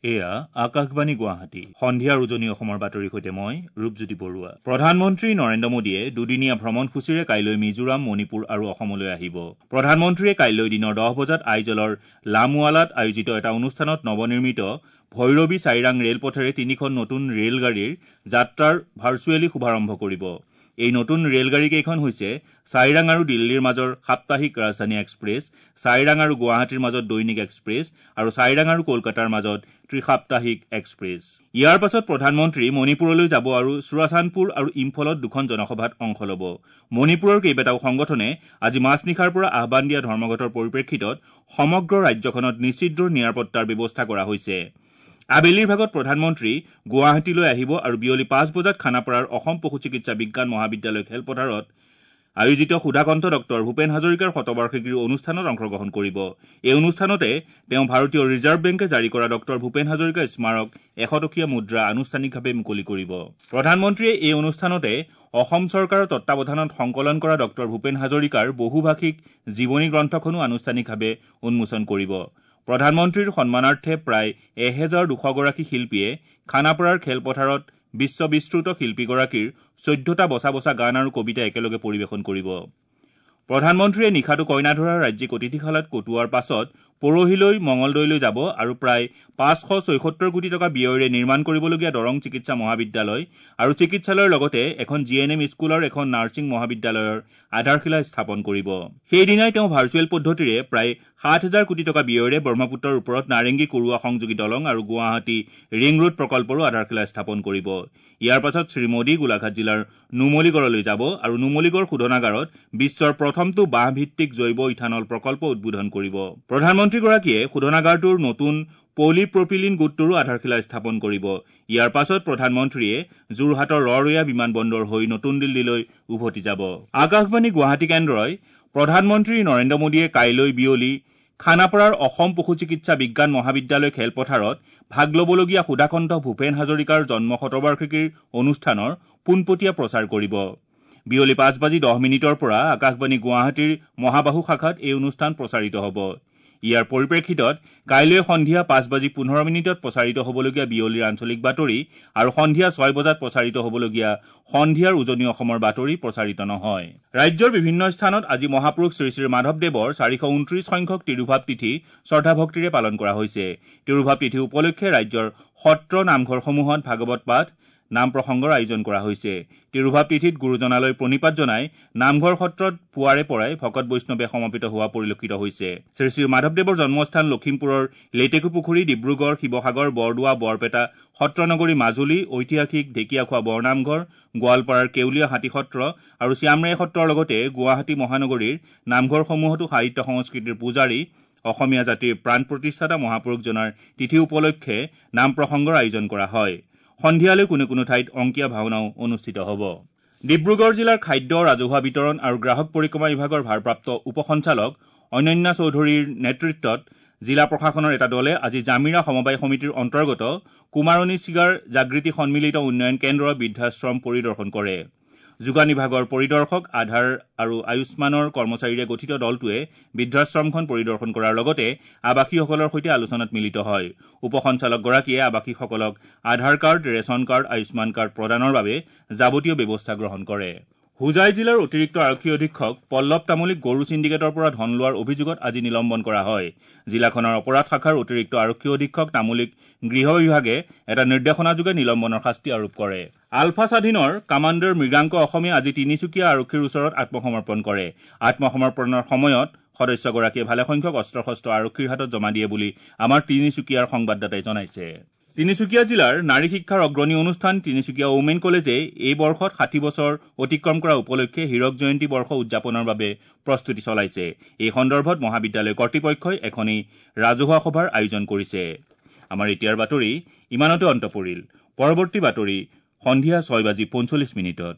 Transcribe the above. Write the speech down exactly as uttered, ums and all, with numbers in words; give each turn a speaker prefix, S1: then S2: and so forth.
S1: এয়া আকাশবাণী গুৱাহাটী। সন্ধিয়াৰ উজনি অসমৰ বাতৰিৰ সৈতে মই ৰূপজ্যোতি বৰুৱা। প্ৰধানমন্ত্ৰী নৰেন্দ্ৰ মোদীয়ে দুদিনীয়া ভ্ৰমণসূচীৰে কাইলৈ মিজোৰাম, মণিপুৰ আৰু অসমলৈ আহিব। প্ৰধানমন্ত্ৰীয়ে কাইলৈ দিনৰ দহ বজাত আইজলৰ লামৱালাত আয়োজিত এটা অনুষ্ঠানত নৱনিৰ্মিত ভৈৰৱী চাইৰাং ৰেলপথেৰে তিনিখন নতুন ৰেলগাড়ীৰ যাত্ৰাৰ ভাৰ্চুৱেলি শুভাৰম্ভ কৰিব। এই নতুন ৰেলগাড়ীকেইখন হৈছে চাইৰাং আৰু দিল্লীৰ মাজৰ সাপ্তাহিক ৰাজধানী এক্সপ্ৰেছ, চাইৰাং আৰু গুৱাহাটীৰ মাজত দৈনিক এক্সপ্ৰেছ আৰু চাইৰাং আৰু কলকাতাৰ মাজত ত্ৰিসাপ্তাহিক এক্সপ্ৰেছ। ইয়াৰ পাছত প্ৰধানমন্ত্ৰী মণিপুৰলৈ যাব আৰু চুৰাচান্দপুৰ আৰু ইম্ফলত দুখন জনসভাত অংশ ল'ব। মণিপুৰৰ কেইবাটাও সংগঠনে আজি মাজনিশাৰ পৰা আহ্বান দিয়া ধৰ্মঘটৰ পৰিপ্ৰেক্ষিতত সমগ্ৰ ৰাজ্যখনত নিশ্চিদ্ৰ নিৰাপত্তাৰ ব্যৱস্থা কৰা হৈছে। আবেলিৰ ভাগত প্ৰধানমন্ত্ৰী গুৱাহাটীলৈ আহিব আৰু বিয়লি পাঁচ বজাত খানাপাৰাৰ অসম পশু চিকিৎসা বিজ্ঞান মহাবিদ্যালয় খেলপথাৰত আয়োজিত সুধাকণ্ঠ ডক্টৰ ভূপেন হাজৰিকাৰ শতবাৰ্ষিকীৰ অনুষ্ঠানত অংশগ্ৰহণ কৰিব। এই অনুষ্ঠানতে তেওঁ ভাৰতীয় ৰিজাৰ্ভ বেংকে জাৰি কৰা ডক্টৰ ভূপেন হাজৰিকা স্মাৰক এশ টকীয়া মুদ্ৰা আনুষ্ঠানিকভাৱে মুকলি কৰিব। প্ৰধানমন্ত্ৰীয়ে এই অনুষ্ঠানতে অসম চৰকাৰৰ তত্বাৱধানত সংকলন কৰা ডক্টৰ ভূপেন হাজৰিকাৰ বহুভাষিক জীৱনী গ্ৰন্থখনো আনুষ্ঠানিকভাৱে উন্মোচন কৰিব। প্ৰধানমন্ত্ৰীৰ সন্মানাৰ্থে প্ৰায় এহেজাৰ দুশগৰাকী শিল্পীয়ে খানাপাৰাৰ খেলপথাৰত বিশ্ববিশ্ৰুত শিল্পীগৰাকীৰ চৈধ্যটা বচা বচা গান আৰু কবিতা একেলগে পৰিৱেশন কৰিব। প্ৰধানমন্ত্ৰীয়ে নিশাটো কইনাধৰাৰ ৰাজ্যিক অতিথিশালাত কটোৱাৰ পাছত পৰহিলৈ মঙলদৈলৈ যাব আৰু প্ৰায় পাঁচশ ছয়সত্তৰ কোটি টকা ব্যয়েৰে নিৰ্মাণ কৰিবলগীয়া দৰং চিকিৎসা মহাবিদ্যালয় আৰু চিকিৎসালয়ৰ লগতে এখন জি এন এম স্কুল আৰু এখন নাৰ্ছিং মহাবিদ্যালয়ৰ আধাৰশিলা স্থাপন কৰিব। সেইদিনাই তেওঁ ভাৰ্চুৱেল পদ্ধতিৰে প্ৰায় সাত হাজাৰ কোটি টকা ব্যয়েৰে ব্ৰহ্মপুত্ৰৰ ওপৰত নাৰেংগী কুৰুৱা সংযোগী দলং আৰু গুৱাহাটী ৰিং ৰোড প্ৰকল্পৰো আধাৰশিলা স্থাপন কৰিব। ইয়াৰ পাছত শ্ৰীমোদী গোলাঘাট জিলাৰ নুমলীগড়লৈ যাব আৰু নুমলীগড় শোধনাগাৰত বিশ্বৰ প্ৰথমটো বাঁহভিত্তিক জৈৱ ইথানল প্ৰকল্প উদ্বোধন কৰিব। প্ৰধানমন্ত্ৰীগৰাকীয়ে শোধনাগাৰটোৰ নতুন পলিপ্ৰপিলিন গোটটোৰো আধাৰশিলা স্থাপন কৰিব। ইয়াৰ পাছত প্ৰধানমন্ত্ৰীয়ে যোৰহাটৰ ৰৰৈয়া বিমানবন্দৰ হৈ নতুন দিল্লীলৈ উভতি যাব। আকাশবাণী গুৱাহাটী কেন্দ্ৰই প্ৰধানমন্ত্ৰী নৰেন্দ্ৰ মোদীয়ে কাইলৈ বিয়লি খানাপাৰাৰ অসম পশু চিকিৎসা বিজ্ঞান মহাবিদ্যালয় খেলপথাৰত ভাগ ল'বলগীয়া সুধাকণ্ঠ ভূপেন হাজৰিকাৰ জন্ম শতবাৰ্ষিকীৰ অনুষ্ঠানৰ পোনপটীয়া প্ৰচাৰ কৰিব। বিয়লি পাঁচ বাজি দহ মিনিটৰ পৰা আকাশবাণী গুৱাহাটীৰ মহাবাহু শাখাত এই অনুষ্ঠান প্ৰচাৰিত হ'ব। ইয়াৰ পৰিপ্ৰেক্ষিতত কাইলৈ সন্ধিয়া পাঁচ বাজি পোন্ধৰ মিনিটত প্ৰচাৰিত হ'বলগীয়া বিয়লিৰ আঞ্চলিক বাতৰি আৰু সন্ধিয়া ছয় বজাত প্ৰচাৰিত হ'বলগীয়া সন্ধিয়াৰ উজনি অসমৰ বাতৰি প্ৰচাৰিত নহয়। ৰাজ্যৰ বিভিন্ন স্থানত আজি মহাপুৰুষ শ্ৰী শ্ৰী মাধৱদেৱৰ চাৰিশ ঊনত্ৰিশ সংখ্যক তিৰুভাৱ তিথি শ্ৰদ্ধাভক্তিৰে পালন কৰা হৈছে। তিৰুভাৱ তিথি উপলক্ষে ৰাজ্যৰ সত্ৰ নামঘৰসমূহত ভাগৱত পাঠ, নাম প্ৰসংগৰ আয়োজন কৰা হৈছে। তিৰুভাৱ তিথিত গুৰুজনালৈ প্ৰণিপাত জনাই নামঘৰ সত্ৰত পুৱাৰে পৰাই ভকত বৈষ্ণৱে সমবেত হোৱা পৰিলক্ষিত হৈছে। শ্ৰী শ্ৰী মাধৱদেৱৰ জন্মস্থান লখিমপুৰৰ লেটেকুপুখুৰী, ডিব্ৰুগড়, শিৱসাগৰ, বৰদোৱা, বৰপেটা, সত্ৰনগৰী মাজুলী, ঐতিহাসিক ঢেকীয়াখোৱা বৰনামঘৰ, গোৱালপাৰাৰ কেউলীয়া হাতী সত্ৰ আৰু শ্যামৰায় সত্ৰৰ লগতে গুৱাহাটী মহানগৰীৰ নামঘৰসমূহতো সাহিত্য সংস্কৃতিৰ পূজাৰী অসমীয়া জাতিৰ প্ৰাণ প্ৰতিষ্ঠাতা মহাপুৰুষজনাৰ তিথি উপলক্ষে নাম প্ৰসংগৰ আয়োজন কৰা হয়। সন্ধিয়ালৈ কোনো কোনো ঠাইত অংকীয়া ভাওনাও অনুষ্ঠিত হ'ব। ডিব্ৰুগড় জিলাৰ খাদ্য, ৰাজহুৱা বিতৰণ আৰু গ্ৰাহক পৰিক্ৰমা বিভাগৰ ভাৰপ্ৰাপ্ত উপ সঞ্চালক অনন্যা চৌধুৰীৰ নেতৃত্বত জিলা প্ৰশাসনৰ এটা দলে আজি জামিৰা সমবায় সমিতিৰ অন্তৰ্গত কুমাৰণী চিগাৰ জাগৃতি সন্মিলিত উন্নয়ন কেন্দ্ৰ বৃদ্ধাশ্ৰম পৰিদৰ্শন কৰে। যোগান বিভাগৰ পৰিদৰ্শক, আধাৰ আৰু আয়ুষ্মানৰ কৰ্মচাৰীৰে গঠিত দলটোৱে বৃদ্ধাশ্ৰমখন পৰিদৰ্শন কৰাৰ লগতে আৱাসীসকলৰ সৈতে আলোচনাত মিলিত হয়। উপ সঞ্চালকগৰাকীয়ে আৱাসীসকলক Aadhaar card, ration card, Ayushman card প্ৰদানৰ বাবে যাৱতীয় ব্যৱস্থা গ্ৰহণ কৰে। হোজাই জিলাৰ অতিৰিক্ত আৰক্ষী অধীক্ষক পল্লৱ তামুলীক গৰু ছিণ্ডিকেটৰ পৰা ধন লোৱাৰ অভিযোগত আজি নিলম্বন কৰা হয়। জিলাখনৰ অপৰাধ শাখাৰ অতিৰিক্ত আৰক্ষী অধীক্ষক তামুলীক গৃহ বিভাগে এটা নিৰ্দেশনাযোগে নিলম্বনৰ শাস্তি আৰোপ কৰে। আলফা স্বাধীনৰ কামাণ্ডাৰ মৃগাংক অসমে আজি তিনিচুকীয়া আৰক্ষীৰ ওচৰত আত্মসমৰ্পণ কৰে। আত্মসমৰ্পণৰ সময়ত সদস্যগৰাকীয়ে ভালেসংখ্যক অস্ত্ৰ শস্ত্ৰ আৰক্ষীৰ হাতত জমা দিয়ে বুলি আমাৰ তিনিচুকীয়াৰ সংবাদদাতাই জনাইছে। তিনিচুকীয়া জিলাৰ নাৰী শিক্ষাৰ অগ্ৰণী অনুষ্ঠান তিনিচুকীয়া ওমেন কলেজে এই বৰ্ষত ষাঠি বছৰ অতিক্ৰম কৰা উপলক্ষে হীৰক জয়ন্তী বৰ্ষ উদযাপনৰ বাবে প্ৰস্তুতি চলাইছে। এই সন্দৰ্ভত মহাবিদ্যালয় কৰ্তৃপক্ষই এখনি ৰাজহুৱা সভাৰ আয়োজন কৰিছে। আমাৰ এতিয়াৰ বাতৰি ইমানতে অন্ত পৰিল। পৰৱৰ্তী বাতৰি সন্ধিয়া ছয় বাজি পঞ্চল্লিছ মিনিটত।